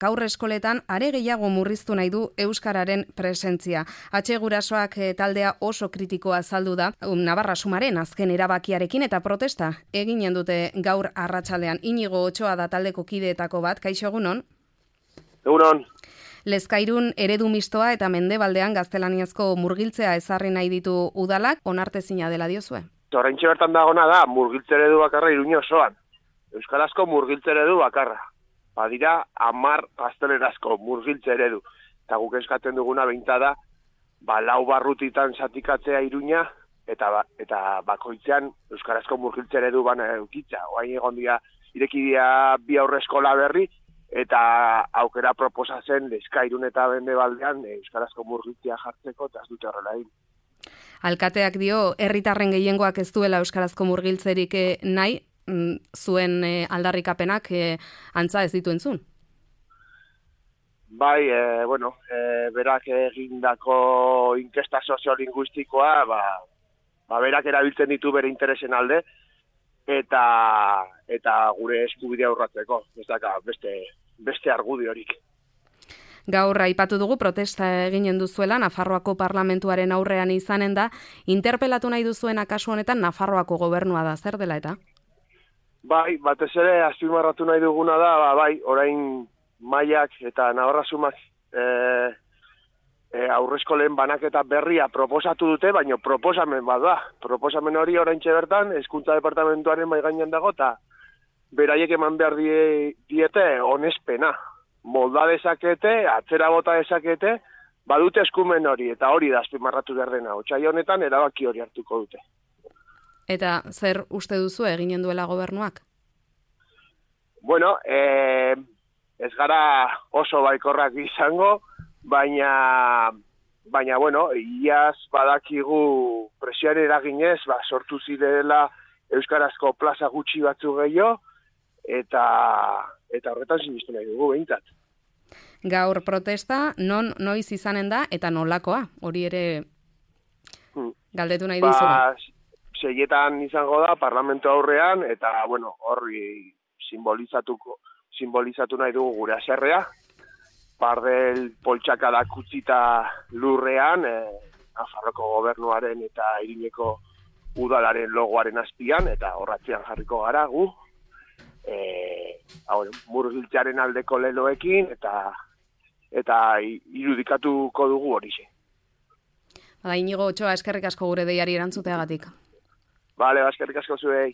gaur eskoletan are gehiago murriztu nahi du euskararen presentzia. Atxe gurasoak taldea oso kritikoa azaldu da Navarra Sumaren azken erabakiarekin eta protesta eginen dute gaur arratsaldean. Inigo Otsoa da taldeko kideetako bat, kaixo egunon? Egunon. Lezkairun eredu mistoa eta Mendebaldean gaztelaniazko murgiltzea ezarri nahi ditu udalak, onartezina dela diozue? Oraintxe bertan dagona da murgiltze eredu bakarra Iruña osoan. Euskarazko murgiltze eredu bakarra. Badira 10 gaztelerazko murgiltze eredu. Eta guk eskatzen duguna behintzada, 4 barrutitan zatikatzea Iruña eta bakoitzean euskarazko murgiltze eredu bana eukitza. Oain egon dira irekidia 2 aurreskola berri, eta aukera proposatzen Lezkairun eta Mendebaldean euskarazko murgiltzea jartzeko eta ez dute horrela egin. Alkateak dio, herritarren gehiengoak ez duela euskarazko murgiltzerik nahi, zuen aldarrikapenak antza ez ditu entzun? Bai, berak egindako inkesta soziolinguistikoa, berak erabiltzen ditu bere interesen alde, eta gure eskubidea urratzeko, ez daka beste argudiorik. Gaur aipatu dugu protesta eginen duzuela Nafarroako parlamentuaren aurrean izanen da, interpelatu nahi duzuena kasu honetan Nafarroako gobernua da, zer dela eta? Bai, batez ere azpimarratu nahi duguna da, orain Maiak eta Navarra Sumak aurreskolen banaketa berria proposatu dute, baina proposamen bat da. Proposamen hori oraintxe bertan, Hezkuntza Departamentuaren mahai gainean dago, eta beraiek eman behar diete onespena. Molda dezakete, atzera bota dezakete, badute eskumen hori, eta hori da azpimarratu behar dena. Otsai honetan erabaki hori hartuko dute. Eta zer uste duzu eginen duela gobernuak? Bueno, ez gara oso baikorrak izango, baina iaz badakigu presioaren eraginez, sortu zirela euskarazko plaza gutxi batzu gehiago, eta horretan sinistu nahi dugu behintzat. Gaur protesta noiz izanen da eta nolakoa? Hori ere galdetu nahi dizugu. 6etan izango da parlamentu aurrean, eta horri simbolizatu nahi dugu gure haserrea. Pardel poltsakadak utzita lurrean, Nafarroko gobernuaren eta Iruñeko udalaren logoaren azpian, eta horratzean jarriko gara gu, murgiltzearen aldeko leloekin, eta irudikatuko dugu horixe. Inigo Otsoa, eskerrik asko gure deiari erantzuteagatik. Bale, eskerrik asko zuei.